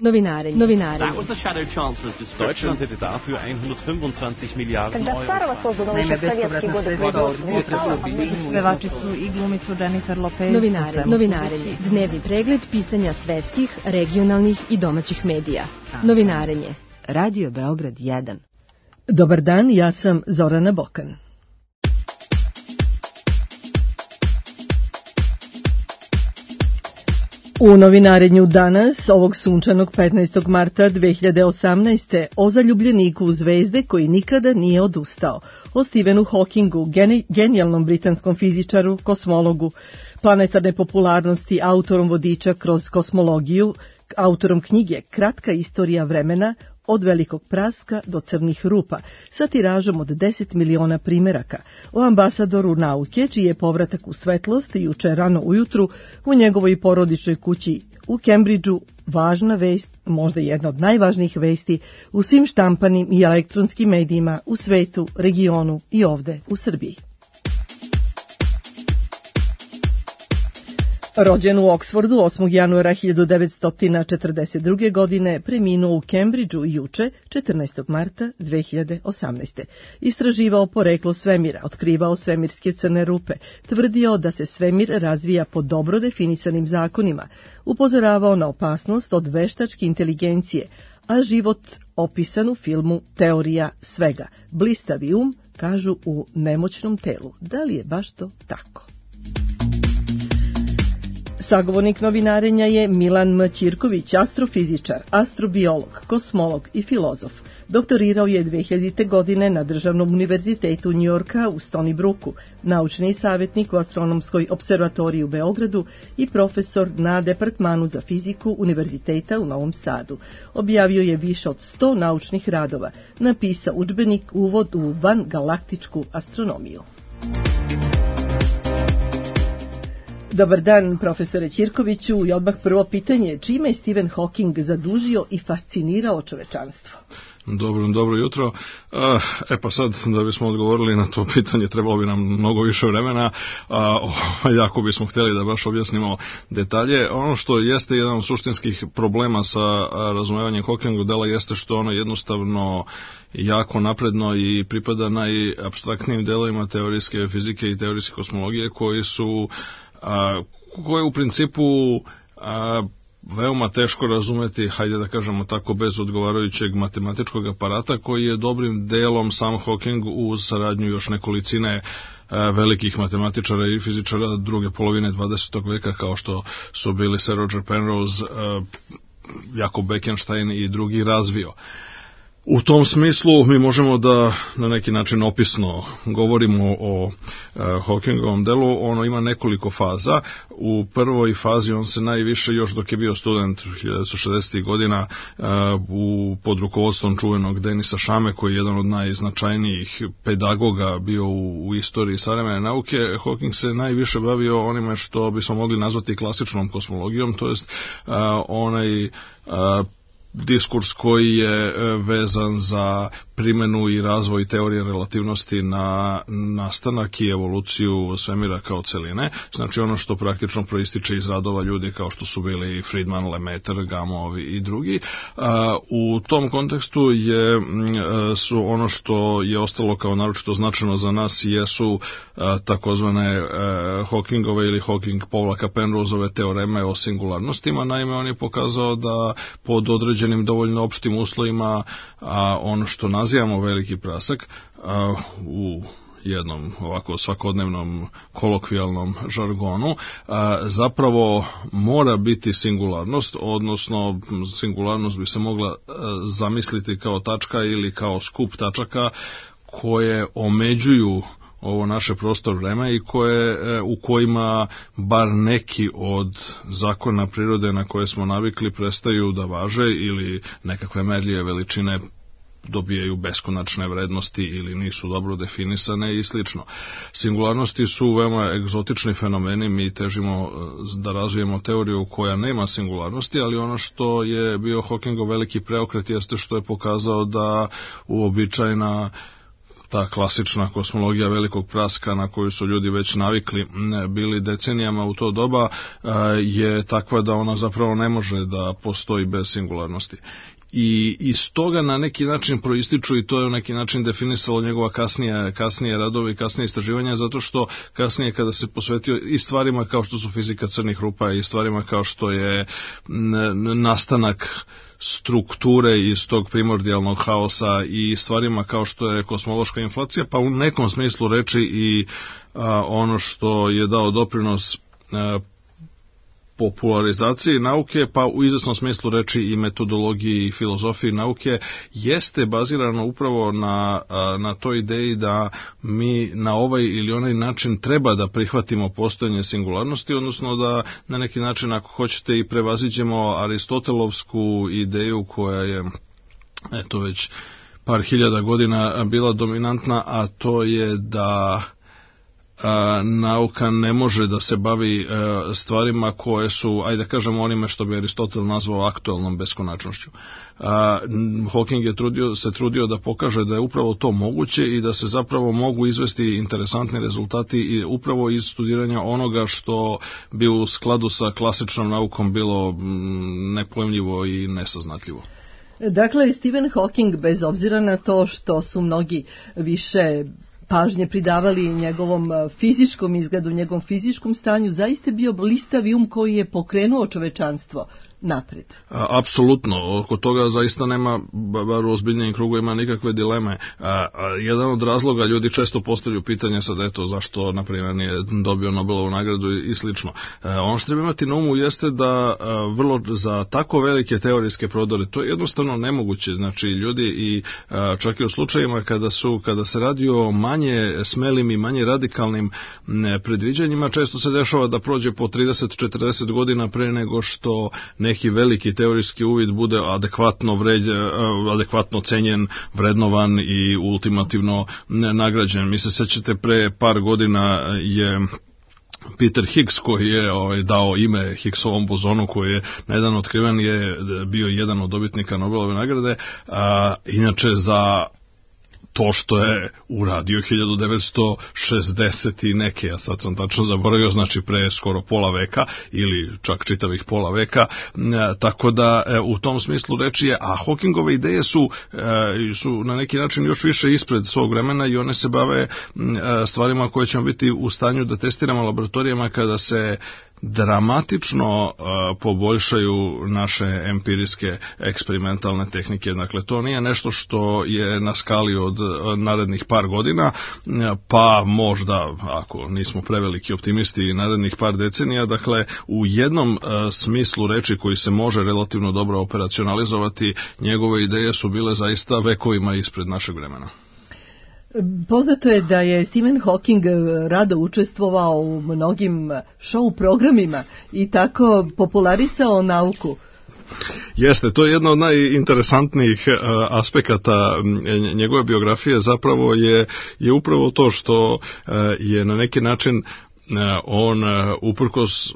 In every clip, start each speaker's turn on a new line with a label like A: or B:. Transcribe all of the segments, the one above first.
A: Novinarenje.
B: That was the Shadow Chancellor's description.
C: Deutschland hätte dafür 125 Miliarden
D: Когда Сарова создана еще в советские годы
E: Pevačicu i glumicu Jennifer Lopez.
A: Novinarenje. Dnevni pregled pisanja svetskih, regionalnih i domaćih medija. Novinarenje.
F: Radio Beograd 1.
G: Dobar dan, ja sam Zorana Bokan. U novinarenju danas, ovog sunčanog 15. marta 2018. o zaljubljeniku u zvezde koji nikada nije odustao, o Stephenu Hawkingu, genijalnom britanskom fizičaru, kosmologu, planetarne popularnosti, autorom vodiča kroz kosmologiju, autorom knjige Kratka istorija vremena, od velikog praska do crnih rupa, sa tiražom od 10 miliona primeraka, o ambasadoru nauke, čiji je povratak u svetlost juče rano ujutru u njegovoj porodičnoj kući u Cambridgeu važna vest, možda jedna od najvažnijih vesti u svim štampanim i elektronskim medijima u svetu, regionu i ovde u Srbiji. Rođen u Oksfordu 8. januara 1942. godine, preminuo u Cambridgeu juče, 14. marta 2018. Istraživao poreklo svemira, otkrivao svemirske crne rupe, tvrdio da se svemir razvija po dobro definisanim zakonima, upozoravao na opasnost od veštačke inteligencije, a život opisan u filmu Teorija svega. Blistavi kažu u nemoćnom telu. Da li je baš to tako? Sagovornik novinarenja je Milan M. Ćirković, astrofizičar, astrobiolog, kosmolog i filozof. Doktorirao je 2000. godine na Državnom univerzitetu Njujorka u Stony Brooku, naučni savjetnik u Astronomskoj observatoriji u Beogradu i profesor na Departmanu za fiziku Univerziteta u Novom Sadu. Objavio je više od 100 naučnih radova, napisao udžbenik Uvod u vangalaktičku astronomiju. Dobar dan, profesore Ćirkoviću, i odmah prvo pitanje, čime je Stephen Hawking zadužio i fascinirao čovečanstvo?
H: Dobro jutro. Pa sad, da bismo odgovorili na to pitanje, trebalo bi nam mnogo više vremena, jako bismo htjeli da baš objasnimo detalje. Ono što jeste jedan od suštinskih problema sa razumevanjem Hawkingovog dela jeste što ono jednostavno jako napredno i pripada najapstraktnijim delovima teorijske fizike i teorijske kosmologije koje u principu veoma teško razumeti, hajde da kažemo tako, bez odgovarajućeg matematičkog aparata, koji je dobrim delom sam Hawking uz saradnju još nekolicine velikih matematičara i fizičara druge polovine 20. veka, kao što su bili Sir Roger Penrose, Jakob Bekenstein i drugi, razvio. U tom smislu mi možemo da na neki način opisno govorimo o Hawkingovom delu. Ono ima nekoliko faza. U prvoj fazi on se najviše, još dok je bio student 1960. godina, pod rukovodstvom čuvenog Denisa Šame, koji je jedan od najznačajnijih pedagoga bio u istoriji savremene nauke, Hawking se najviše bavio onime što bismo mogli nazvati klasičnom kosmologijom, to jest onaj diskurs koji je vezan za primenu i razvoj teorije relativnosti na nastanak i evoluciju svemira kao celine, znači ono što praktično proističe iz radova ljudi kao što su bili Friedman, Lemaitre, Gamow i drugi. U tom kontekstu su ono što je ostalo kao naročito značajno za nas jesu takozvane Hawkingove ili Hawking-Penroseove teoreme o singularnostima. Naime, on je pokazao da pod određenim dovoljno opštim uslovima ono što nazivamo veliki prasak u jednom ovako svakodnevnom kolokvijalnom žargonu zapravo mora biti singularnost, odnosno singularnost bi se mogla zamisliti kao tačka ili kao skup tačaka koje omeđuju ovo naše prostor vreme i u kojima bar neki od zakona prirode na koje smo navikli prestaju da važe ili nekakve merljive veličine dobijaju beskonačne vrednosti ili nisu dobro definisane i slično. Singularnosti su veoma egzotični fenomeni, mi težimo da razvijemo teoriju koja nema singularnosti, ali ono što je bio Hawkingov veliki preokret jeste što je pokazao da uobičajena ta klasična kosmologija velikog praska na koju su ljudi već navikli bili decenijama u to doba je takva da ona zapravo ne može da postoji bez singularnosti. I iz toga na neki način proističu, i to je na neki način definisalo njegova kasnije radove i kasnije istraživanja, zato što kasnije kada se posvetio i stvarima kao što su fizika crnih rupa i stvarima kao što je nastanak strukture iz tog primordijalnog haosa i stvarima kao što je kosmološka inflacija, pa u nekom smislu reči i ono što je dao doprinos popularizaciji nauke, pa u izvesnom smislu reči i metodologiji i filozofiji nauke, jeste bazirano upravo na toj ideji da mi na ovaj ili onaj način treba da prihvatimo postojanje singularnosti, odnosno da na neki način, ako hoćete, i prevaziđemo aristotelovsku ideju koja je već par hiljada godina bila dominantna, a to je da nauka ne može da se bavi stvarima koje su, ajde da kažemo, onime što bi Aristotel nazvao aktuelnom beskonačnošću. Hawking se trudio da pokaže da je upravo to moguće i da se zapravo mogu izvesti interesantni rezultati i upravo iz studiranja onoga što bi u skladu sa klasičnom naukom bilo nepojmljivo i nesaznatljivo.
G: Dakle, Stephen Hawking, bez obzira na to što su mnogi više pažnje pridavali njegovom fizičkom izgledu, njegovom fizičkom stanju, zaista bio blistavi koji je pokrenuo čovečanstvo napred.
H: Apsolutno, oko toga zaista nema, bar u ozbiljnijim krugovima, nikakve dileme. Jedan od razloga, ljudi često postavljaju pitanje sad, zašto, na primjer, nije dobio Nobelovu nagradu i slično. Ono što treba imati na umu jeste da vrlo za tako velike teorijske prodore, to je jednostavno nemoguće. Znači, ljudi i čak i u slučajima kada se radi o manje smelim i manje radikalnim predviđanjima, često se dešava da prođe po 30-40 godina pre nego što neki veliki teorijski uvid bude adekvatno cenjen, vrednovan i ultimativno nagrađen. Mi se sećate, pre par godina je Peter Higgs, koji je dao ime Higgsovom bozonu, koji je na jedan otkriven, je bio jedan od dobitnika Nobelove nagrade, inače za to što je uradio 1960 i neke, ja sad sam tačno zaboravio, znači pre skoro pola veka ili čak čitavih pola veka, tako da u tom smislu reči je, a Hawkingove ideje su na neki način još više ispred svog vremena i one se bave stvarima koje ćemo biti u stanju da testiramo laboratorijama kada se dramatično poboljšaju naše empirijske eksperimentalne tehnike. Dakle, to nije nešto što je na skali od narednih par godina, pa možda, ako nismo preveliki optimisti, narednih par decenija. Dakle, u jednom smislu reči koji se može relativno dobro operacionalizovati, njegove ideje su bile zaista vekovima ispred našeg vremena.
G: Poznato je da je Stephen Hawking rado učestvovao u mnogim show programima i tako popularisao nauku.
H: Jeste, to je jedno od najinteresantnijih aspekata njegove biografije, zapravo je upravo to što je na neki način on uprkos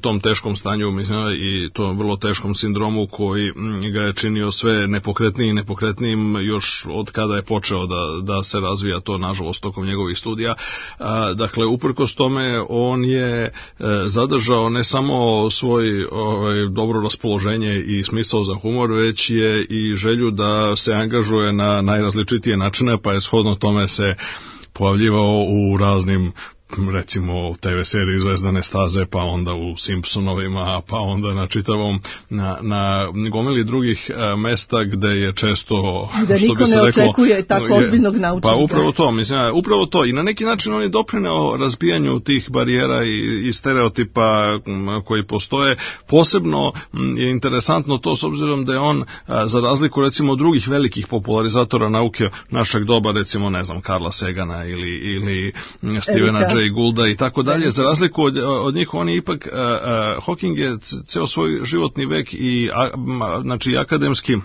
H: tom teškom stanju, mislim, i tom vrlo teškom sindromu koji ga je činio sve nepokretnijim još od kada je počeo da se razvija to, nažalost, tokom njegovih studija. Dakle, uprkos tome on je zadržao ne samo svoj dobro raspoloženje i smisao za humor, već je i želju da se angažuje na najrazličitije načine, pa je shodno tome se pojavljivao u raznim, recimo, TV seriji Zvezdane staze, pa onda u Simpsonovima, pa onda na čitavom, na gomili drugih mesta gde je često,
G: gde
H: što
G: niko
H: bi se
G: ne
H: reklo,
G: očekuje tako ozbiljnog naučnika.
H: Pa upravo to. I na neki način on je doprineo razbijanju tih barijera i stereotipa koji postoje. Posebno je interesantno to s obzirom da je on, za razliku recimo od drugih velikih popularizatora nauke našeg doba, recimo, ne znam, Carla Sagana ili Stephena Jay Goulda i tako dalje, za razliku od njih, on je ipak, Hawking je ceo svoj životni vek i akademski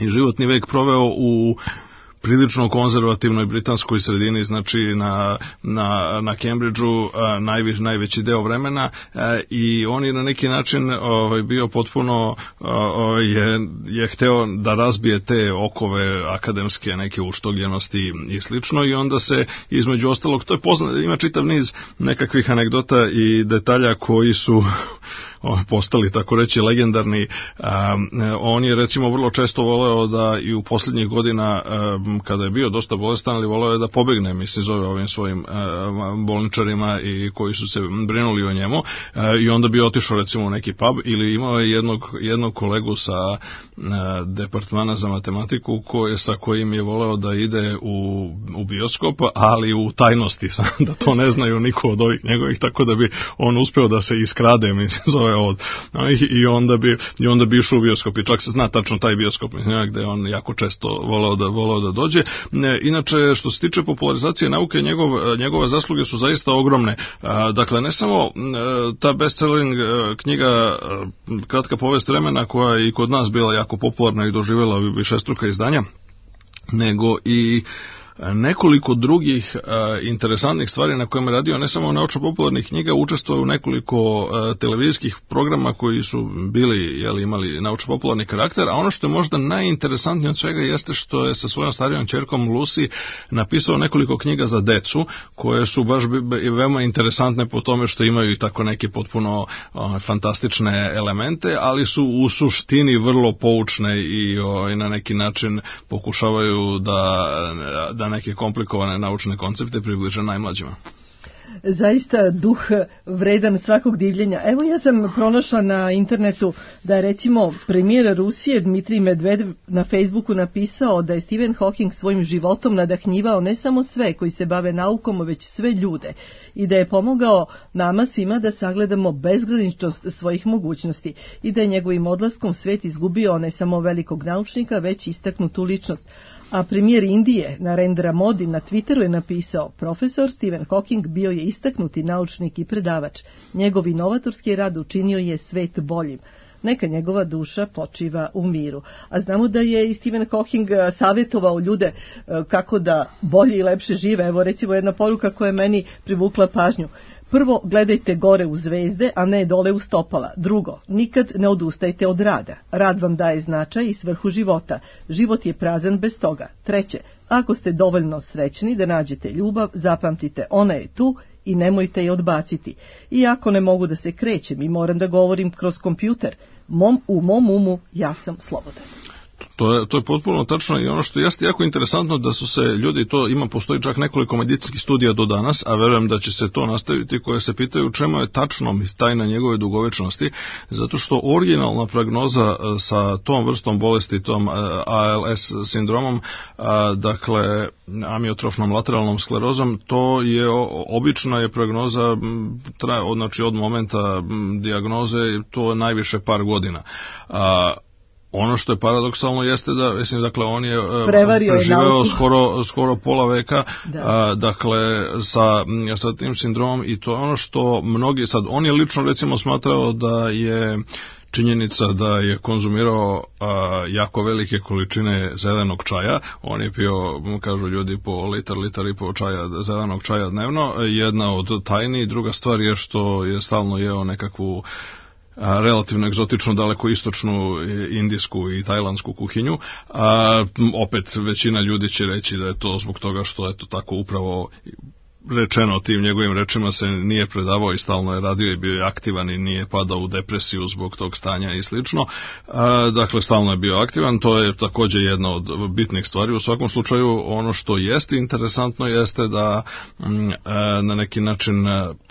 H: i životni vek proveo u prilično konzervativnoj britanskoj sredini, znači na Cambridgeu najveći deo vremena, i on je na neki način bio potpuno je hteo da razbije te okove akademske neke uštogljenosti i slično, i onda se između ostalog, to je ima čitav niz nekakvih anegdota i detalja koji su postali, tako reći, legendarni. On je recimo vrlo često voleo da i u posljednjih godina, kada je bio dosta bolestan, ali voleo je da pobegne, mislim, zove ovim svojim bolničarima i koji su se brinuli o njemu, i onda bi otišao recimo u neki pub, ili imao je jednog kolegu sa departmana za matematiku sa kojim je voleo da ide u bioskop, ali u tajnosti, da to ne znaju niko od ovih njegovih, tako da bi on uspeo da se iskrade, mislim, zove i onda bi išao u bioskop, i čak se zna tačno taj bioskop, mislim, gde on jako često voleo da dođe. Inače, što se tiče popularizacije nauke, njegove zasluge su zaista ogromne. Dakle, ne samo ta bestselling knjiga Kratka povest vremena, koja je i kod nas bila jako popularna i doživjela višestruka izdanja, nego i nekoliko drugih interesantnih stvari na kojima je radio, ne samo naučno-popularnih knjiga, učestvovao u nekoliko televizijskih programa koji su bili, imali naučno-popularni karakter, a ono što je možda najinteresantnije od svega jeste što je sa svojom starijom ćerkom Lucy napisao nekoliko knjiga za decu, koje su baš veoma interesantne po tome što imaju i tako neke potpuno fantastične elemente, ali su u suštini vrlo poučne i na neki način pokušavaju da neke komplikovane naučne koncepte približe najmlađima.
G: Zaista duh vredan svakog divljenja. Evo, ja sam pronašla na internetu da je recimo premijer Rusije Dmitrij Medvedev na Facebooku napisao da je Stephen Hawking svojim životom nadahnjivao ne samo sve koji se bave naukom, već sve ljude, i da je pomogao nama svima da sagledamo bezgraničnost svojih mogućnosti, i da je njegovim odlaskom svet izgubio ne samo velikog naučnika, već istaknutu ličnost. A premijer Indije Narendra Modi na Twitteru je napisao: profesor Stephen Hawking bio je istaknuti naučnik i predavač. Njegov inovatorski rad učinio je svet boljim. Neka njegova duša počiva u miru. A znamo da je i Stephen Hawking savjetovao ljude kako da bolje i lepše žive. Evo recimo jedna poruka koja je meni privukla pažnju. Prvo, gledajte gore u zvezde, a ne dole u stopala. Drugo, nikad ne odustajte od rada. Rad vam daje značaj i svrhu života. Život je prazan bez toga. Treće, ako ste dovoljno srećni da nađete ljubav, zapamtite, ona je tu i nemojte je odbaciti. Iako ne mogu da se krećem i moram da govorim kroz kompjuter, u mom umu ja sam slobodan.
H: To je potpuno tačno, i ono što jeste jako interesantno da su se ljudi, postoji čak nekoliko medicinskih studija do danas, a verujem da će se to nastaviti, koje se pitaju čemu je tačno tajna njegove dugovečnosti, zato što originalna prognoza sa tom vrstom bolesti, tom ALS sindromom, dakle amiotrofnom lateralnom sklerozom, to je obična je prognoza, znači od momenta dijagnoze, to je najviše par godina. Ono što je paradoksalno jeste da, mislim, dakle, on je preživeo skoro pola veka, dakle, sa tim sindromom, i to je ono što mnogi, sad, on je lično, recimo, smatrao da je činjenica da je konzumirao jako velike količine zelenog čaja. On je pio, kažu ljudi, po litar i po zelenog čaja dnevno, jedna od tajni. Druga stvar je što je stalno jeo nekakvu relativno egzotičnu, daleko istočnu indijsku i tajlandsku kuhinju. Opet većina ljudi će reći da je to zbog toga što je to tako upravo rečeno tim njegovim rečima, se nije predavao i stalno je radio i bio je aktivan i nije padao u depresiju zbog tog stanja i slično. Dakle, stalno je bio aktivan, to je također jedna od bitnih stvari. U svakom slučaju, ono što jeste interesantno jeste da na neki način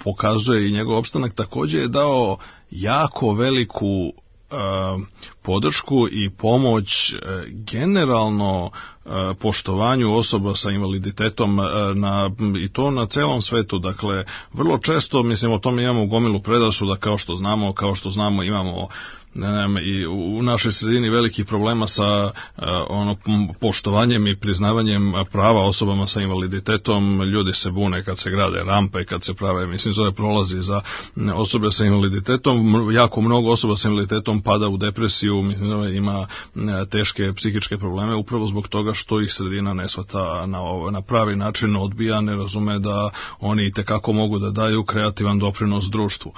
H: pokazuje i njegov opstanak, također je dao jako veliku podršku i pomoć generalno poštovanju osoba sa invaliditetom i to na celom svetu. Dakle, vrlo često, mislim, o tome imamo gomilu predrasuda, kao što znamo imamo i u našoj sredini velikih problema sa poštovanjem i priznavanjem prava osobama sa invaliditetom. Ljudi se bune kad se grade rampe, kad se prave, mislim, zove prolazi za osobe sa invaliditetom. Jako mnogo osoba sa invaliditetom pada u depresiju, mislim, ima teške psihičke probleme upravo zbog toga što ih sredina ne shvata na pravi način, odbija, ne razume da oni itekako mogu da daju kreativan doprinos društvu.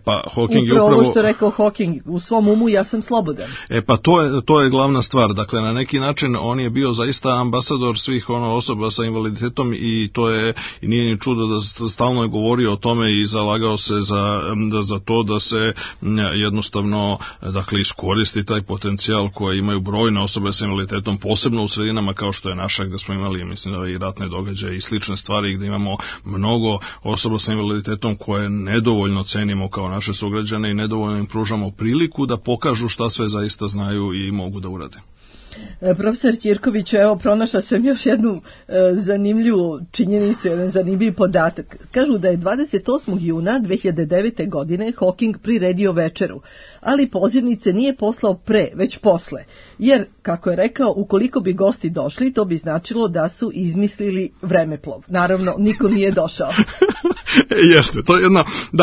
H: Pa Hawking je upravo
G: što rekao Hawking, u svom umu ja sam slobodan.
H: Pa to je glavna stvar. Dakle, na neki način on je bio zaista ambasador svih osoba sa invaliditetom i to je, i nije ni čudo da stalno je govorio o tome i zalagao se za to da se jednostavno, dakle, iskoristi taj potencijal koje imaju brojne osobe sa invaliditetom, posebno u sredinama kao što je naša, gde smo imali, mislim, i ratne događaje i slične stvari, gde imamo mnogo osoba sa invaliditetom koje nedovoljno cenimo kao naše sugrađane i nedovoljno im pružamo priliku da pokažu šta sve zaista znaju i mogu da urade.
G: Profesor Ćirkoviću, evo, pronašla sam još jednu zanimljivu činjenicu, jedan zanimljiv podatak. Kažu da je 28. juna 2009. godine Hawking priredio večeru, ali pozivnice nije poslao pre, već posle. Jer, kako je rekao, ukoliko bi gosti došli, to bi značilo da su izmislili vremeplov. Naravno, niko nije došao.
H: Jeste, to je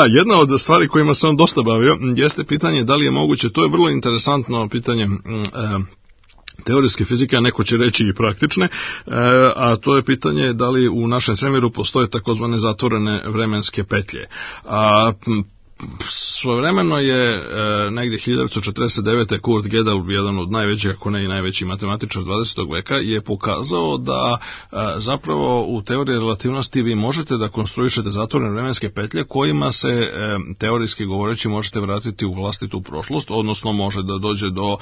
H: jedna od stvari kojima se on dosta bavio, jeste pitanje da li je moguće, to je vrlo interesantno pitanje teorijske fizike, a neko će reći i praktične, a to je pitanje da li u našem svemiru postoje takozvane zatvorene vremenske petlje. Svojevremeno je negdje 1949. Kurt Gödel, jedan od najvećih, ako ne i najveći matematičar 20. veka, je pokazao da zapravo u teoriji relativnosti vi možete da konstruišete zatvorene vremenske petlje kojima se teorijski govoreći možete vratiti u vlastitu prošlost, odnosno može da dođe do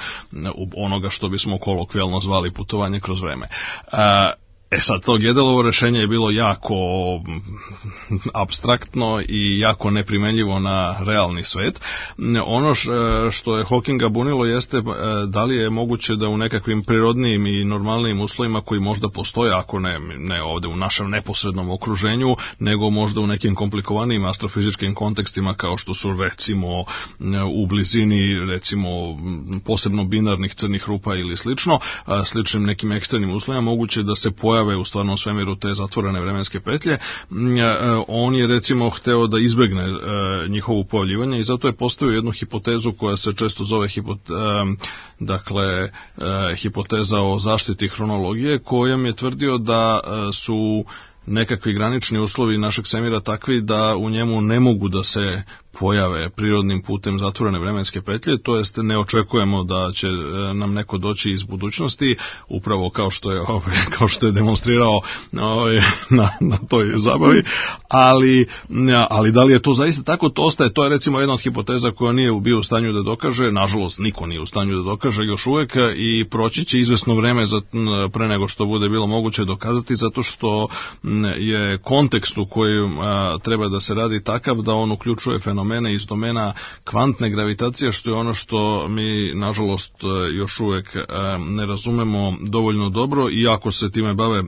H: onoga što bismo kolokvijalno zvali putovanje kroz vreme. Sad, to Gödelovo rešenje je bilo jako apstraktno i jako neprimenljivo na realni svet. Ono što je Hawkinga bunilo jeste da li je moguće da u nekakvim prirodnim i normalnim uslovima koji možda postoje, ako ne ovde u našem neposrednom okruženju, nego možda u nekim komplikovanijim astrofizičkim kontekstima kao što su recimo u blizini recimo posebno binarnih crnih rupa ili sličnim nekim ekstremnim uslovima moguće da se pojave u stvarnom svemiru te zatvorene vremenske petlje. On je recimo hteo da izbegne njihovo pojavljivanje i zato je postavio jednu hipotezu koja se često zove hipoteza o zaštiti hronologije, kojom je tvrdio da su nekakvi granični uslovi našeg svemira takvi da u njemu ne mogu da se pojave prirodnim putem zatvorene vremenske petlje, to jest ne očekujemo da će nam neko doći iz budućnosti, upravo kao što je demonstrirao na toj zabavi, ali da li je to zaista tako, to je recimo jedna od hipoteza koja nije bio u stanju da dokaže, nažalost niko nije u stanju da dokaže još uvek i proći će izvesno vreme pre nego što bude bilo moguće dokazati, zato što je kontekst u kojem treba da se radi takav da on uključuje fenomene iz domena kvantne gravitacije, što je ono što mi, nažalost, još uvek ne razumemo dovoljno dobro, iako se time bave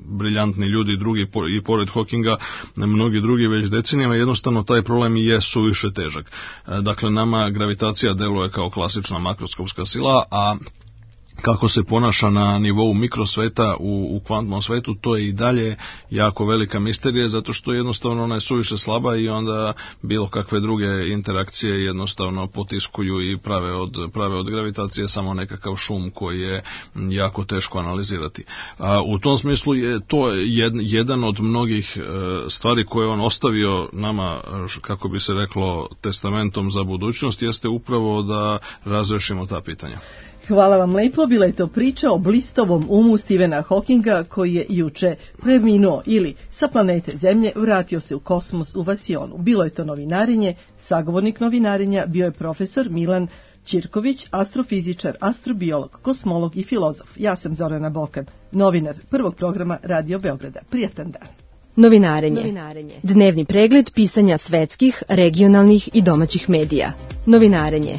H: briljantni ljudi drugi i pored Hawkinga, mnogi drugi već decenijama, jednostavno taj problem je suviše težak. Dakle, nama gravitacija deluje kao klasična makroskopska sila, a kako se ponaša na nivou mikrosveta u kvantnom svetu, to je i dalje jako velika misterija, zato što jednostavno ona je suviše slaba i onda bilo kakve druge interakcije jednostavno potiskuju i prave od gravitacije samo nekakav šum koji je jako teško analizirati. U tom smislu je to jedan od mnogih stvari koje on ostavio nama, kako bi se reklo, testamentom za budućnost, jeste upravo da razrešimo ta pitanja.
G: Hvala vam lepo, bila je to priča o blistavom umu Stephena Hawkinga koji je juče preminuo ili sa planete Zemlje vratio se u kosmos u Vasionu. Bilo je to novinarenje, sagovornik novinarenja bio je profesor Milan Ćirković, astrofizičar, astrobiolog, kosmolog i filozof. Ja sam Zorana Bokan, novinar prvog programa Radio Beograda. Prijatan dan.
A: Novinarenje. Dnevni pregled pisanja svetskih, regionalnih i domaćih medija. Novinarenje.